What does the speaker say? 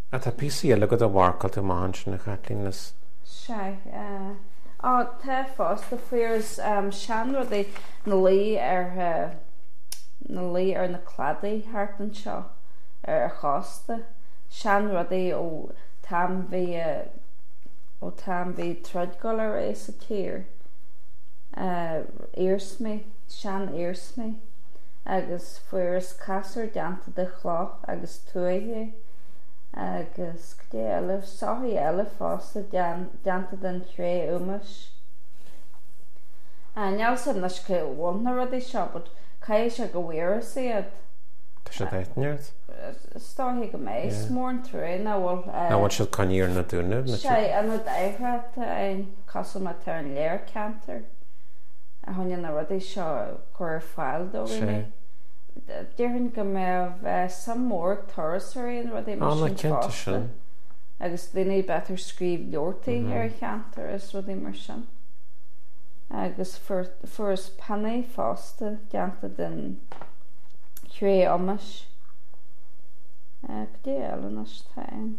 Ah, tá píosaí eile agat a mharcáil tú amach ansin, a Chaitlín, is. Sea. Á, tá fosta, fuaireas seanrudaí 'na luí ar, 'na luí ar na cladaí thart anseo ar an chósta, seanrudaí ó t-am bhí, ó t-am bhí troid dul ar aghaidh sa tír, iarsmaí, sean-iarsmaí agus fuaireas casúr déanta de chloch agus tuaithe agus goidé eile, soithí eile fosta déanta den chré-umais. Níl a fhios agam anois cá bhfuil na rudaí seo but caithfidh sé go bhfuaireas iad. Tá siad ag ort? Is dóiche go mbeidh. Is mór an trua nach bhfuil. Nach bhfuil siad coinnithe ar na Dúnaibh? Sea, ionad oidhreachta ann cosúil mar atá ar an léir ceantar a choinne na rudaí seo a chur ar fáil do dhaoine. Déarfainn go mbeadh suim mhór ag turasóirí in rudaí mar sin fosta agus daoine b'fhéidir scríobh leabhartaí ar an cheantar is rudaí mar sin. Agus fuaireas pionnaí fosta déanta den chré-umais. Goidé eile anois atá ann?